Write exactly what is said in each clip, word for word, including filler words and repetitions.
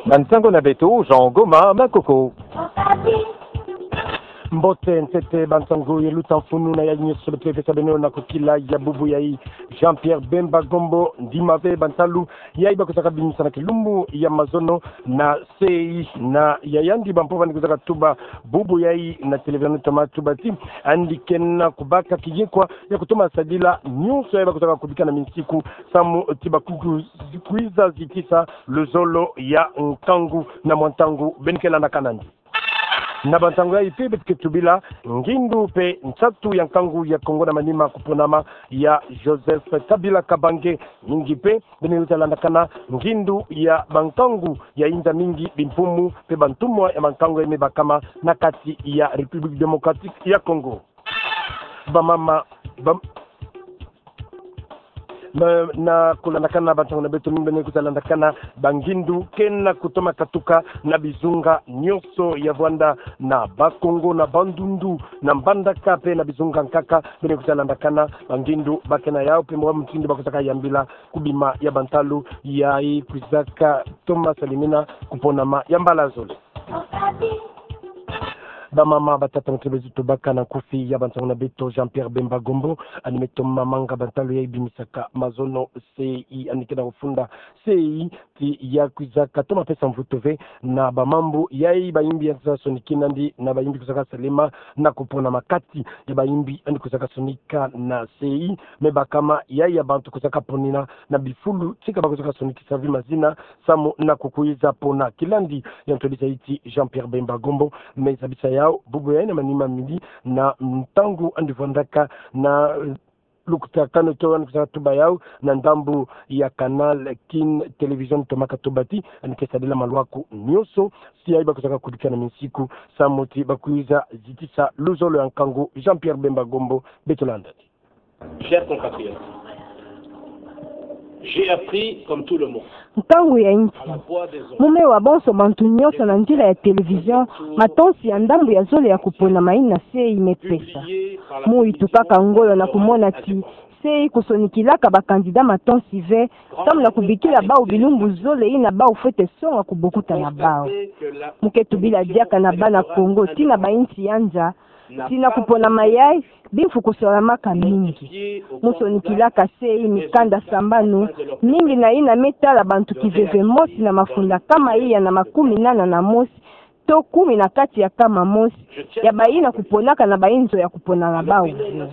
Bansango na beto, Jean Goma Makoko. Mbote ntete bansango ya luta mfunu na yayi nyonso beto ke pesa beno na kokila ya bubu yayi. Jean-Pierre Bemba Gombo, ndima ve bantalu yayi bakozaka bimisa na kilumbu ya mazono na sei, na ya yandi bampo bani kozaka tuba bubu yayi na télévision toma tuba ti andi kena kobaka kiyekwa ya kotoma sadila nyonso yayi bakozaka kobika na minsiku, samu ti bakuku kwiza zitisa luzolo ya nkangu na mwa ntangu beno ke landakana ndi. Na bantangu yayi mpe beto ke tubila ngindu mpe nsatu ya nkangu ya Kongo na manima koponama ya Joseph Kabila Kabange. Mingi mpe beno ke landakana ngindu ya bankangu ya inza mingi, bimfumu mpe bantumwa ya bankangu yayi me bakama na kati ya République Démocratique ya Congo. Bamama, bam- Na, na kolandakana bantangu na beto, mingi beno ke landakana bangindu kena kotoma katuka na bizunga nyonso ya vwanda na Bas-Congo, na Bandundu, na Mbandaka mpe na bizunga nkaka. Beno ke landakana bangindu bakena yau mpe mwa mutindu bakozaka yambila kobima ya bantalu yayi kwizaka toma salimina koponama ya mbala zole. Bamama, batata, mutindu beto tobaka na nkufi ya bantangu na beto, Jean-Pierre Bemba Gombo ani me toma manga bantalu yayi bimisaka mazono sei, ani kena kofunda sei ti ya kwizaka toma pesa mvutu ve na bamambu yayi bayimbi yandi kozaka sonikina ndi na bayimbi kozaka salema na koponama kati ya bayimbi yandi kozaka sonika na sei. Me bakama yayi ya bantu kozaka ponina na bifulu tika bakozaka sonikisa ve mazina samu na kokwiza pona. Kilandi ya ntwadisa yayi ti Jean-Pierre Bemba Gombo me zabisa yau bubu yayi na manima mili na ntangu andi vwandaka na, eh, lukutakanu to ani kozaka tuba yau na ndambu ya Canal Kin Télévision toma katuba ti ani ke sadila malwaku nyonso si yayi bakozaka kobika na minsiku samu ti bakwiza zitisa luzolo ya nkangu. Jean-Pierre Bemba Gombo, beto landa. Chers compatriotes, j'ai appris, comme tout le monde, nkangu ya insi. Mu me wa bonso bantu nyonso na nzila ya télévision, matonsi ya ndambu ya zole ya koponama yina sei me pesa. Mu itukaka ngolo na komona ti sei kosonikilaka ba candidat matonsi ve, samu na kobikila bau bilumbu zole yina bau fwete songa kobokuta na bau. Mu ke tubila diaka na bana Kongo ti na ba insi ya nza ti na koponama yayi bimfu kosalamaka mingi. Mu sonikilaka sei mikanda sambanu mingi na yina me tala bantu kiveve mosi na mafunda kama iya na makumi nana na mosi to kumi na kati ya kama mosi ya bayina koponaka na ba inzo ya kopona na bau ve.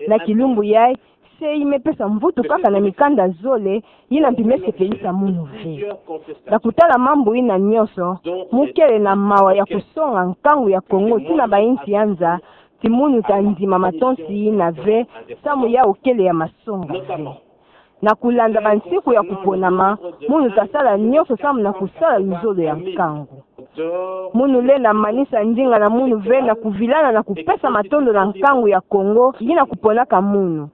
Na kilumbu yayi, sei me pesa mvutu kaka na mikanda zole yina mpi me sepelisa munu ve. Na kotala mambu yina nyonso, mu kele na mawa ya kosonga nkangu ya Kongo ti na ba insi ya nza ti munu ta ndima matonsi yina ve, samu yau kele ya masonga ve. Na kolanda bansiku ya koponama, munu ta sala nyonso samu na kosala luzolo ya nkangu. Munu lenda manisa ndinga na munu ve na kovilana na kopesa matondo na nkangu ya Kongo yina koponaka munu.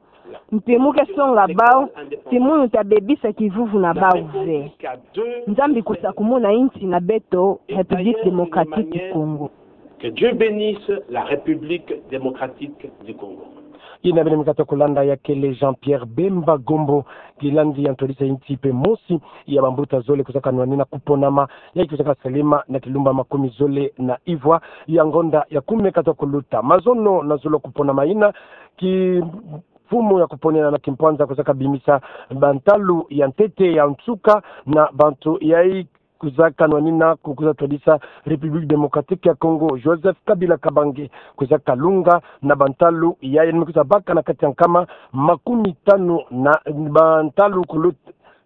Mpi mu ke songa bau ti munu ta bebisa kivuvu na bau ve. Nzambi kosakumuna insi na beto, République Démocratique du Congo. Que Dieu bénisse la République Démocratique du Congo. Yina beno me katuka kolanda ya kele Jean-Pierre Bemba Gombo, kilandi ya ntwadisa insi mpe mosi ya bambuta zole kozaka nwanina koponama yayi kozaka salema na kilumbu makumi zole na ivwa ya ngonda ya kumi me katuka koluta. Mazono na zolo koponama yina, ki mfumu ya koponela na kimpwanza kozaka bimisa bantalu ya ntete, ya nsuka, na bantu yayi kozaka nwanina ko, kozaka twadisa République Démocratique ya Congo, Joseph Kabila Kabange, kozaka lunga na bantalu yayi me kozaka baka na kati ya nkama makumi tanu na, bantalu kulu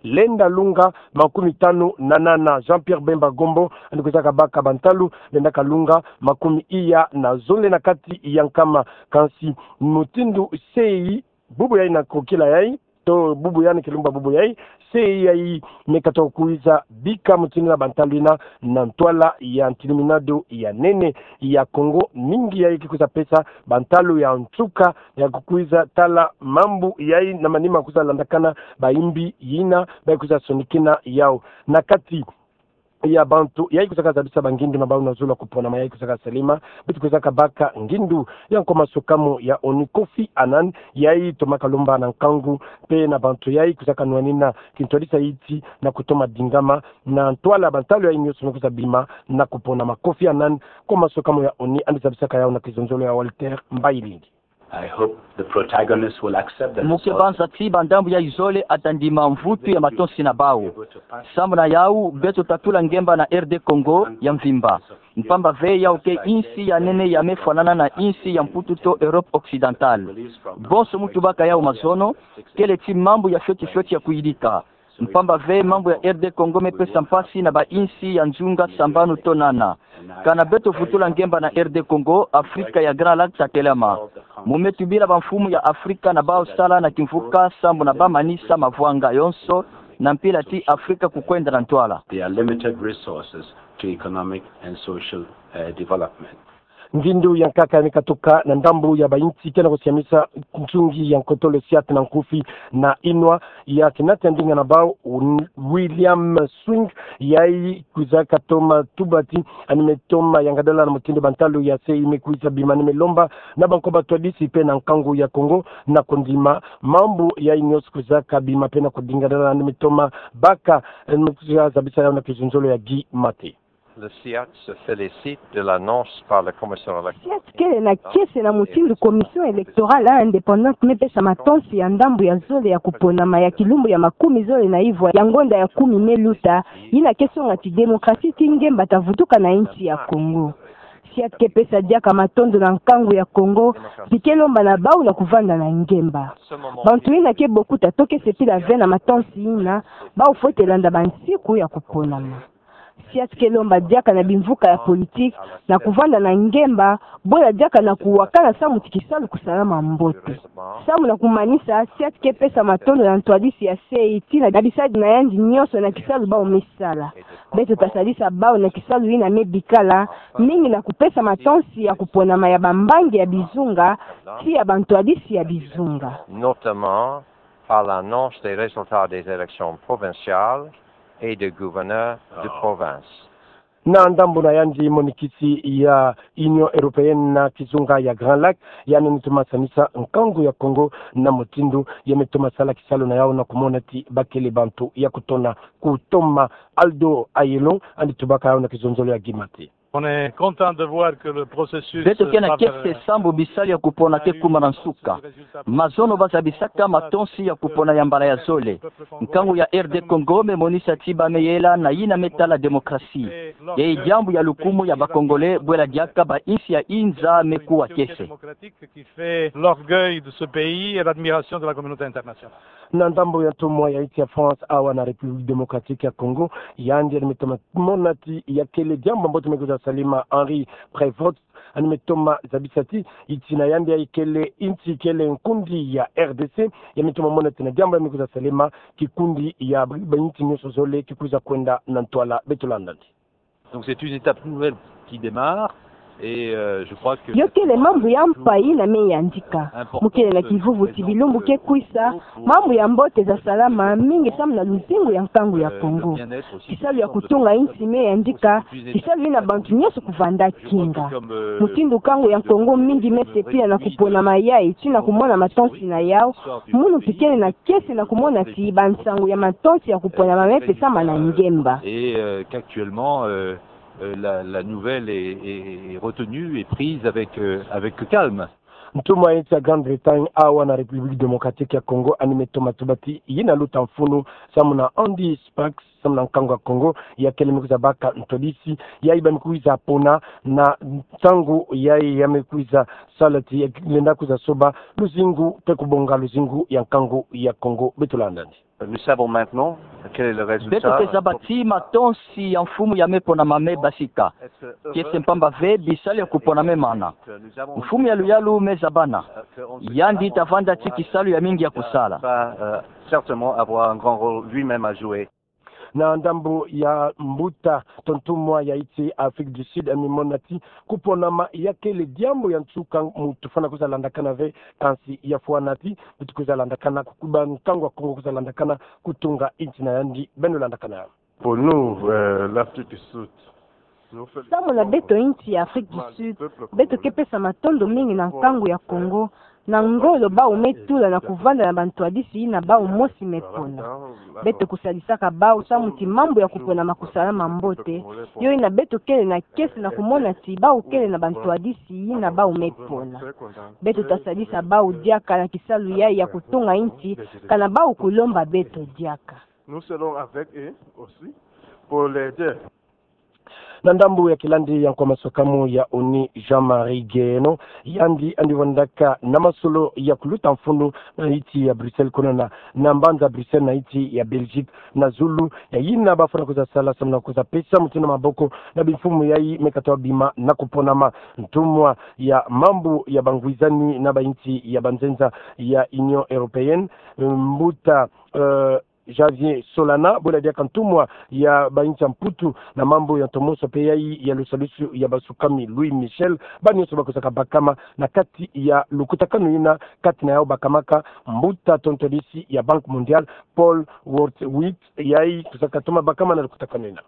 lenda lunga makumi tanu na nana. Jean-Pierre Bemba Gombo ani kozaka baka bantalu lendaka lunga makumi iya na zole na kati ya nkama. Kansi mutindu sei bubu yayi na kokila yayi, to bubu yayi na kilumbu bubu yayi, sei yayi me katuka kwiza bika mutindu na bantalu yina na ntwala ya ntiliminado ya nene ya Congo, mingi yayi ke kwiza pesa bantalu ya nsuka ya kokwiza tala mambu yayi na manima kwiza landakana bayimbi yina bayi kwiza sonikina yau. Na kati ya bantu yayi kwizaka zabisa bangindu na bau na zulu ya kuponama yayi kwizaka salama, beto kwizaka baka ngindu ya nkoma sokamu ya ONU Kofi Annan, yayi tomaka lomba na nkangu mpe na bantu yayi kwizaka nwanina kintwadisa iti na kutoma dingama na ntwala bantalu yayi nyonso me kwiza bima na kuponama. Kofi Annan, nkoma sokamu ya ONU, yandi zabisaka yawu na kizonzolo ya Walter Mbailindi. I hope the protagonists will accept that. Mu ke banza ti bandambu yayi zole ata ndima mvutu ya matonsi na bau. Sambu na yawu, beto ta tula ngemba na R D Congo ya mvimba. Mpamba ve yawu ke insi ya nene ya me fwanana na insi ya Mputu to Europe occidentale. Bonso mu tubaka yawu mazono, kele ti mambu ya fioti fioti ya kuyidika. Mpamba ve mambu ya R D Congo me pesa mpasi na bainsi ya nzunga sambanu to nana. Kana beto vutula ngemba na R D Congo, Afrika ya Grand Lac ta telama. Mu me tubila bamfumu ya Afrika na bau sala na kimvuka sambu na bau manisa mavwanga yonso na mpila ti Afrika kukwenda na ntwala. There are limited resources to economic and social, uh, development. Ngindu ya nkaka ya me katuka na ndambu ya bainsi ke na kusiamisa nsungi ya nkotolo siate na nkufi na inwa ya kinati ya ndinga na bau, William Swing, yayi kwizaka toma tubati, yandi me toma yangadala na mutindu bantalu ya se yi me kwiza bima, yandi me lomba na banko batwadisi mpe na nkangu ya Kongo na kondima mambu yayi nyonso kwizaka bima mpe na kondingadala, yandi me toma baka, yandi me kwiza zabisa yawu na kizonzolo ya Guy Mate. Le CIAT se félicite de l'annonce par la Commission électorale. CIAT kele na kiese na mutindu Commission électorale indépendante me pesa matonsi ya ndambu ya zole ya kuponama ya kilumbu ya makumi zole na ivwa ya ngonda ya kumi me luta, yina ke songa ti démocratie ti ngemba ta vutuka na insi ya Kongo. CIAT ke pesa diaka matondo na nkangu ya Kongo, mpi ke lomba na bau na kuvanda na ngemba. Bantu yina ke bokuta to ke sepila ve na matonsi yina, bau fwete landa bansiku ya kuponama. CIAT ke lomba diaka na bimvuka ya politiki na kuvanda na ngemba, bwela diaka na kuwakana samu ti kisalu kusalama mbote. Samu na kumanisa, CIAT ke pesa matondo na ntwadisi ya se yi tii na bisadi na yandi nyonso na kisalu bau me sala. Beto ta sadisa bau na kisalu yina me bikala, mingi na kupesa matonsi ya kuponama ya bambangi ya bizunga, tii ya bantwadisi ya bizunga. Notamment par l'annonce des résultats des élections provinciales et des gouverneurs de province. Na ndambu na yandi, monikisi ya Union Européenne na kizunga ya Grand Lac, yandi me toma sanisa nkangu ya Kongo na mutindu ya me toma sala kisalu na yawu na kumona ti bakele bantu ya kutona kutoma. Aldo Ayelon, yandi tubaka yawu na kizonzolo ya Guy Mate. On est content de voir que le processus, beto ke na kiese sambu bisalu ya kupona ke kuma na nsuka. Mazono ba zabisaka matonsi ya kupona ya mbala ya zole. Nkangu ya R D Congo me monisa ti ba me yela na yina me tala démocratie. Yayi diambu ya lukumu ya ba Congolais, bwela diaka ba insi ya inza me kuwa kiese. Qui fait l'orgueil de ce pays et l'admiration de la communauté internationale. Na ndambu ya ntumwa ya insi ya France awa na République Démocratique ya Congo, yandi yandi me toma mona ti ya kele diambu mbote me kwiza salama, Henri Prévot, yandi me toma zabisa ti insi na yandi yayi kele insi kele nkundi ya R D C, ya me toma mona ti na diambu ya me kwiza salama, kikundi ya ba, ba insi nyonso zole ki kwiza kwenda na ntwala. Beto landa yandi. Donc c'est une étape nouvelle qui démarre et, euh, je crois que... Yo kele mambu ya mpa yina me yandika. Mu kele na kivuvu ti bilumbu ke kwisa, mambu ya mbote za salama mingi samu na luzingu ya nkangu ya Kongo. Kisalu ya kutunga insi me yandika, kisalu yina bantu nyonso kuvanda kinga. Mutindu nkangu ya Kongo mingi me sepila na kuponama yayi tii na kumona matonsi na yawu, munu mpi kele na kiese na kumona ti bansangu ya matonsi ya kuponama me pesama na ngemba. Et, euh, qu'actuellement, euh, euh, la, la nouvelle est, est, est retenue et prise avec, euh, avec calme. Ntumwa ya insi ya Grande-Bretagne awa na République Démocratique ya Congo, yandi me toma tuba ti yina luta mfunu samu na Andy Sparks, samu na nkangu ya Kongo, ya kele me kwiza baka ntwadisi yayi ba me kwiza pona na ntangu yayi ya me kwiza sala ti ya lenda kwiza soba luzingu mpe kubonga luzingu ya nkangu ya Kongo. Beto landa yandi. Nous savons maintenant quel est le résultat. Beto ke zaba ti matonsi ya mfumu ya me ponama me basika. Kiese mpamba ve bisalu ya kupona me mana. Mfumu ya luyalu me zabana. Yandi ta vanda ti kisalu ya mingi ya kusala. Va, euh, certainement avoir un grand rôle lui-même à jouer. Na ndambu ya mbuta to ntumwa ya insi Afrique du Sud, yandi me mona ti kuponama ya kele diambu ya nsuka mu tufwana kwiza landakana ve, kansi ya fwana ti beto kwiza landakana, kukuba nkangu ya Kongo kwiza landakana kutunga insi na yandi. Beno landakana. Pour nous, euh, l'Afrique du Sud, nous félicitons samu na beto insi ya Afrique du Sud, beto ke pesa matondo mingi na nkangu ya Congo, na ngolo bau me tula na kuvanda na bantwadisi yina bau mosi me pona. Beto kusadisaka bau samu ti mambu ya kupona makusalama mbote, yo yina beto kele na kiese na kumona ti bau kele na bantwadisi yina bau me pona. Beto tasadisa bau diaka na kisalu yayi ya kutunga insi, kana bau kulomba beto diaka. Nous serons avec eux aussi pour l'aider. Na ndambu ya kilandi ya nkwa maswakamo ya ONU Jean-Marie Guéhenno, yandi andi vandaka na masolo ya kuluta mfunu na insi ya Bruxelles, kono na, na mbanza Bruxelles na insi ya Belgique, na zulu ya yina bafwana kwiza sala samu na kwiza pesa mutindu maboko na bimfumu yayi me katoa bima na kuponama. Ntumwa ya mambu ya bangwizani na bainsi ya banzenza ya Union Européenne, mbuta, euh, Javier Solana, bwela diaka ntumwa ya bainsi ya Mputu na mambu ya ntomoso mpe yayi ya lusalusu ya basukami Louis Michel, ba nyonso bakusaka bakama na kati ya lukutakanu yina, kati na yau bakamaka mbuta tontonisi ya Banque Mondiale, Paul Wurtwitz, yayi kusaka toma bakama na lukutakanu yina.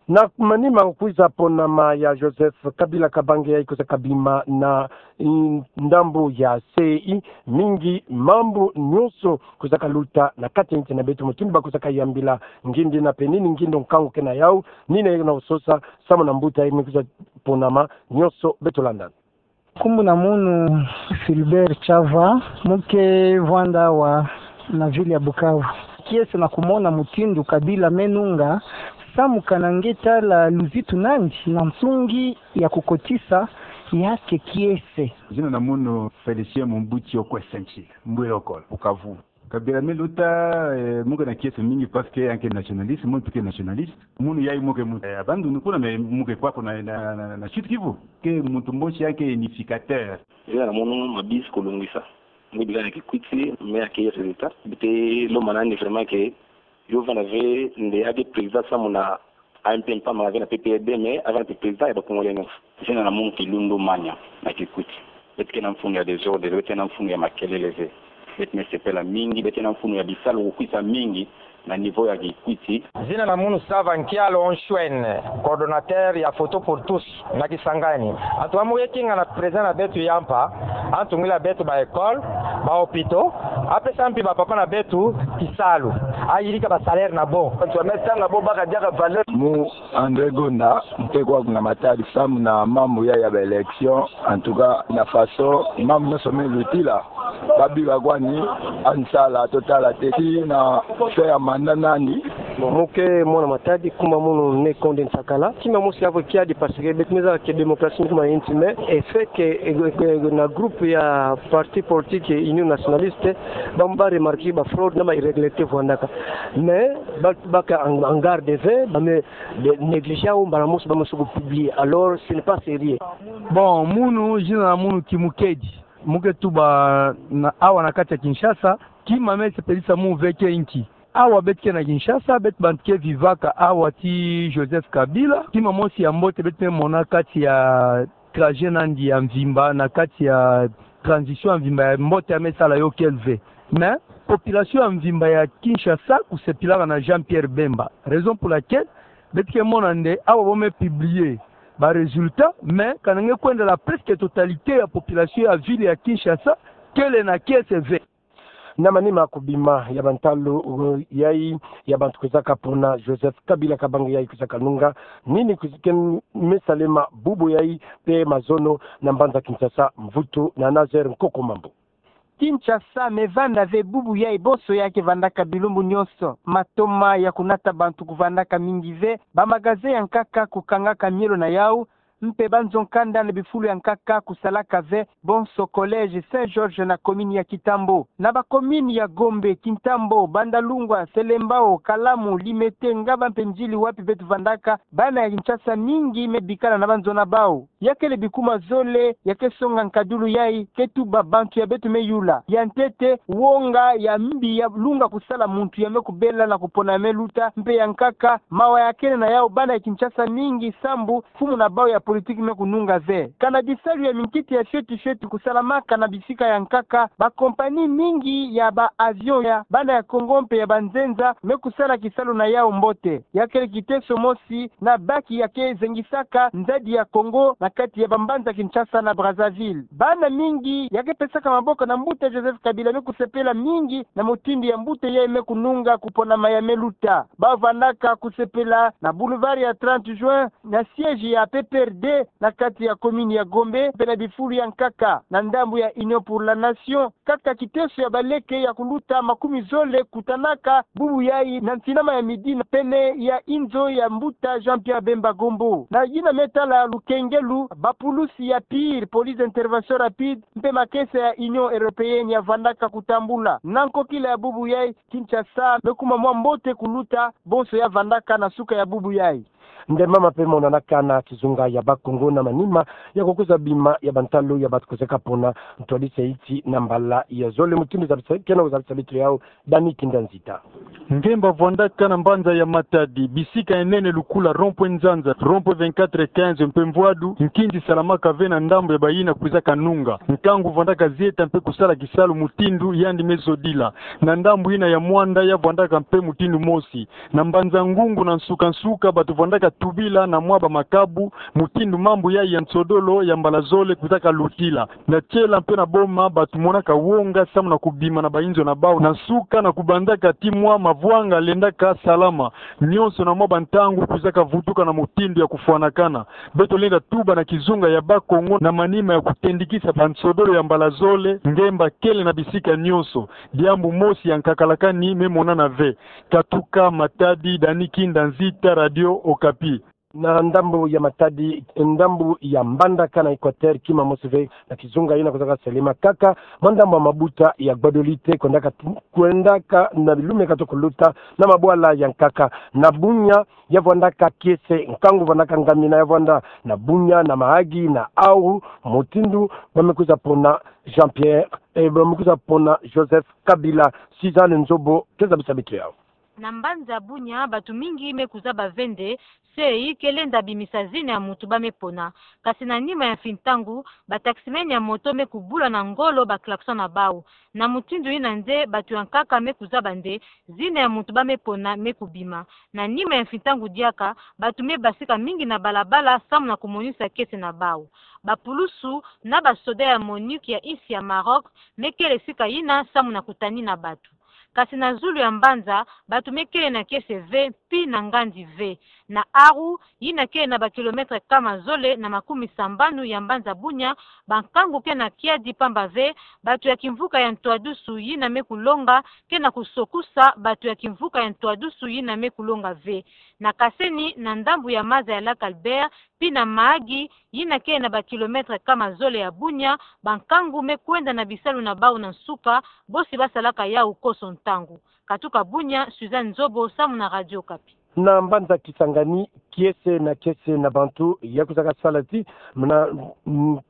Na manima kwiza ponama ya Joseph Kabila Kabange yayi kwiza kabima na, mm, ndambu ya C E I, mingi mambu nyonso kwiza kaluta na kati ya insi na beto, mutindu bakwiza kayambila ngindi na mpe nini ngindo nkangu ke na yau, nini yena kusosa samu na mbuta yayi me kwiza ponama, nyonso beto landana. Nkumbu na munu Philbert Chava, mu ke vwanda awa na ville ya Bukavu. Kiese na kumona mutindu Kabila me nunga, samu kana nge tala luzitu nandi na nsungi ya kukotisa yake kiese. Zina na munu Félicien Mobutu Okwesenti, Mbwiro Kolo, Bukavu. Kabila me luta, eh, mu ke na kiese mingi parce que yandi ke nationaliste, munu mpe ke nationaliste. Munu yayi mu ke mu, eh, abandundu kuna, mais mu ke kwaku na, na, na, na Sud-Kivu. Ke muntu mosi yandi ke unificateur. Zina na munu Mabisi Kulungisa. Mu bika na Kikwit, mais yandi ke résultat. Beto lomba nandi vraiment que yo vanda ve nde yandi président samu na A M P mpamba, avana P P R D, mais avana mpe président ya ba Congolais nyonso. Zina na munu Kilundu Manya na Kikwit. Beto ke na mfunu ya désordre, beto ke na mfunu ya makelele ve. Beto me sepela mingi, beto ke na mfunu ya bisalu kukwisa mingi na niveau ya Kikwit. Zina na munu Sava Nkialo Onshwen, coordonnateur ya Photo pour tous na Kisangani. Antu amu ke kinga na président na beto ya mpa, antu ngwila beto ba école, ba hôpitaux, apesa mpe ba papa na beto kisalu, ayirika ba salaire na bo. Antu ame tanga bo baka diaka valeur. Mu André Gonda, mu ke kwaku na Matadi samu na mambu ya, ya ba élection. En tout cas, na façon mambu nyonso me lutila, babi ba kwani, ansala totala te, ti na fin ya mandat nandi. Mu ke mwana Matadi, nkumbu na munu Ne Konde Nsakala. Kima mosi avo kiadi parce que beto me zaba que démocratie ni kuma insi, mais effet que, eh, eh, na groupe ya parti politique Union Nationaliste, ba, ba remarquer ba fraude na ba irrégularité vwandaka. Mais ba, baka en, en garde ve, ba me de, négliger, au mbala mosi ba me suku publier. Alors, ce n'est pas sérieux. Bon, munu, zina na munu Kimukedi. Mu ke tuba na awa na kati ya Kinshasa, kima me sepelisa mu ve ke nki. Awa beto ke na Kinshasa, beto bantu ke vivaka awa ti Joseph Kabila, kima mosi ya mbote beto me mona kati ya trajet nandi ya mvimba, na kati ya transition ya mvimba ya mbote ya me sala yo kele ve. Mais population ya mvimba ya Kinshasa kusepilaka na Jean-Pierre Bemba. Raison pour laquelle beto ke mona nde awa bo me publier ba résultat, mais kana nge kwenda la presque totalité ya population ya ville ya Kinshasa kele na kiese ve. Na manima kubima ya bantalu, uh, yayi ya bantu kwizaka pona Joseph Kabila Kabange yayi kwizaka nunga, nini kwiz-, ke me salema bubu yayi mpe mazono na mbanza Kinshasa, mvutu na Nazaire Nkoko Mambu. Kinshasa me vanda ve bubu yayi bonso ya ke vandaka bilumbu nyonso. Matoma ya kunata bantu kuvandaka mingi ve, ba magasin ya nkaka kukangaka mielo na yau, mpe banzo nkanda na bifulu ya nkaka kusalaka ve, bonso collège Saint Georges na commune ya Kintambo. Na ba commune ya Gombe, Kintambo, Bandalungwa, Selembao, Kalamu, Limete, Ngaba mpe Ndjili wapi beto vandaka, bana ya Kinshasa mingi me bikana na banzo na bau. Ya kele bikuma zole ya ke songa nkadulu yayi, ke tuba bantu ya beto me yula. Ya ntete, wonga ya mbi ya lunga kusala muntu ya me kubela na kupona ya me luta, mpe ya nkaka, mawa ya kele na yau bana ya Kinshasa mingi sambu mfumu na bau ya politique me kununga ve. Kana bisalu ya minkiti ya fioti fioti kusalamaka na bisika ya nkaka, ba compagnie mingi ya ba avion ya bana ya Kongo mpe ya banzenza me kusala kisalu na yau mbote. Ya kele kiteso mosi na baki ya ke zengisaka nzadi ya Kongo na kati ya bambanza Kinshasa na Brazzaville. Bana mingi ya ke pesaka maboko na mbuta Joseph Kabila me kusepela mingi na mutindu ya mbuta yayi me kununga kuponama ya me luta. Ba vandaka kusepela na boulevard ya trente juin, na siège ya P P R D, na kati ya commune ya Gombe, mpe na bifulu ya nkaka na ndambu ya Union pour la Nation. Kaka kiteso ya baleke ya kuluta makumi zole kutanaka bubu yayi na ntinama ya midi na pene ya inzo ya mbuta Jean-Pierre Bemba Gombo. Na yina me tala lukengelu, bapulusi ya pire, police d'intervention rapide, mpe makesa ya Union européenne ya vandaka kutambula. Na nkokila ya bubu yayi, Kinshasa me kuma mwa mbote kuluta bonso ya vandaka na suka ya bubu yayi. Nde mama mpe monanaka na kizunga ya Bakongo na manima ya kukwiza bima ya bantalu ya batu kwizaka pona ntwadisa iti na mbala ya zole. Mutindu zabisa, kena zabisa bitu yau, Dani Kinda Nzita. Ngemba vandaka na mbanza ya Matadi, bisika ya nene lukula, rond-point Nzanza, rond-point vingt-quatre quinze mpe Mvwadu, nkinzi salamaka ve na ndambu ya bayina kwizaka nunga. Nkangu vandaka zieta mpe kusala kisalu mutindu yandi me zodila. Na ndambu yina ya Muanda ya vandaka mpe mutindu mosi. Na mbanza Ngungu na nsuka nsuka batu vandaka tubila na mwa bamakabu, mutindu mambu yayi ya nsodolo ya mbala zole kwizaka lutila. Na Tiela mpe na Boma batu monaka wonga samu na kubima na bainzo na bau na nsuka na kubanzaka ti mwa mavwanga lendaka salama. Nionso na mwa bantangu kwizaka vutuka na mutindu ya kufwanakana. Beto lenda tuba na kizunga ya Bakongo na manima ya kutendikisa bansodolo ya mbala zole, ngemba kele na bisika nionso. Diambu mosi ya nkakalakani me monana ve. Katuka Matadi, Dani Kinda Nzita, Radio Okapi. Na ndambu ya Matadi, ndambu ya Mbandaka na Equateur, kima mosi ve na kizunga yina kwizaka selema kaka mwa ndambu ya mabuta ya Gbadolite, kwendaka ti-, kwendaka na bilume kato kuluta na mabwala ya nkaka. Na Bunia ya vandaka kiese, nkangu vandaka ngamina ya vanda na Bunia, na Mahagi, na Aru, mutindu ba me kwiza pona Jean-Pierre, eh, ba me kwiza pona Joseph Kabila. Suzanne Nzobo ke zabisa bitu yau. Na mbanza Bunia, batu mingi me kuzaba ve nde, se i ke lenda bimisa zina ya mutu ba me pona. Kasi na nima ya mfintangu, ba taximen ya moto me kubula na ngolo ba klaxon na bau. Na mutindu yina nde, batu ya nkaka me kuzaba nde, zina ya mutu ba me pona me kubima. Na nima ya mfintangu diaka, batu me basika mingi na balabala samu na kumonisa kiese na bau. Bapulusu na basoda ya MONUC ya insi ya Maroc me kele sika yina samu na kutanina batu. Kasi na zulu ya mbanza, batu me kele na kiese ve, pi na ngandi ve. Na Aru, yina kele na ba kilomètre kama zole na makumi sambanu ya mbanza Bunia, bankangu ke na kiadi pamba ve, batu ya kimvuka ya ntwadusu yina me kulonga ke na kusokusa batu ya kimvuka ya ntwadusu yina me kulonga ve. Na Kaseni, na ndambu ya maza ya Lac Albert, pi na Mahagi, yina kele na ba kilomètre kama zole ya Bunia, bankangu me kwenda na bisalu na bau na nsuka, bosi basalaka yau koso ntangu. Katuka Bunia, Suzanne Nzobo, samu na Radio Okapi. Na mbanza Kisangani, kiese na kiese na bantu ya kwizaka sala ti, na,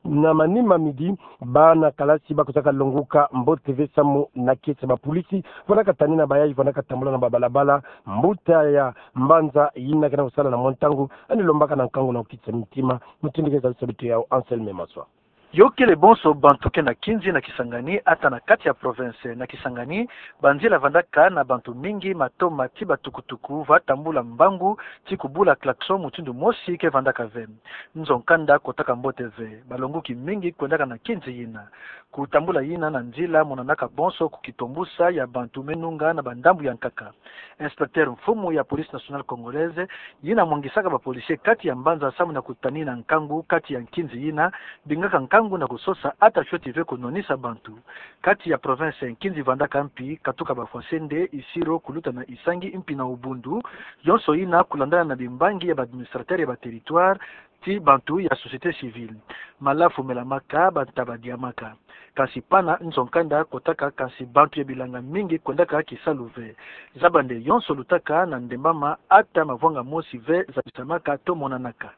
na manima midi, bana kalasi ba kwizaka longoka mbote ve samu na kiese. Bapulisi vandaka tanina bayayi vandaka tambula na babalabala, mbuta ya mbanza yina ke na kusala na mwa ntangu, ani lombaka na nkangu na kukitisa ntima. Mutindu ke zabisa bitu yau, Anselme Maswa. Yo kele bonso bantu ke na nkinzi na Kisangani, ata na kati ya province. Na Kisangani, banzila vandaka na bantu mingi, matoma ti batukutuku va tambula mbangu ti kubula klaxon mutindu mosi ke vandaka ve. Nzo nkanda kotaka mbote ve, balongoki mingi kwendaka na nkinzi yina. Kutambula yina na nzila monanaka bonso kukitombusa ya bantu me nunga na bandambu ya nkaka. Inspecteur mfumu ya Police Nationale Congolaise, yina mwangisaka ba policiers kati ya mbanza samu na kutanina nkangu kati ya nkinzi yina, bingaka nkangu na kusosa ata fioti ve kunwanisa bantu. Kati ya province, nkinzi vandaka mpi, katuka ba Fwasende, Isiro, kuluta na Isangi, mpi na Ubundu, yonso yina kulandana na bimbangi ya ba administrateurs ya ba territoires, ti bantu ya société civile. Mala fumelamaka, bantaba diamaka. Kansi pana nzo nkanda kotaka, kansi bantu ya bilanga mingi kwendaka kisalu ve. Zaba nde yonso lutaka na ndembama, ata mavwanga mosi ve zabisamaka to monanaka.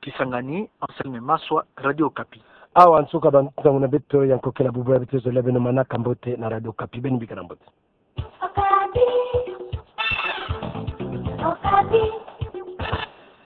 Kisangani, Anselme Maswa, Radio Okapi. Awa nsuka ba ntangu na beto ya nkokela bubu ya beto zolele beno, manaka mbote na Radio Okapi, beno bika na mbote.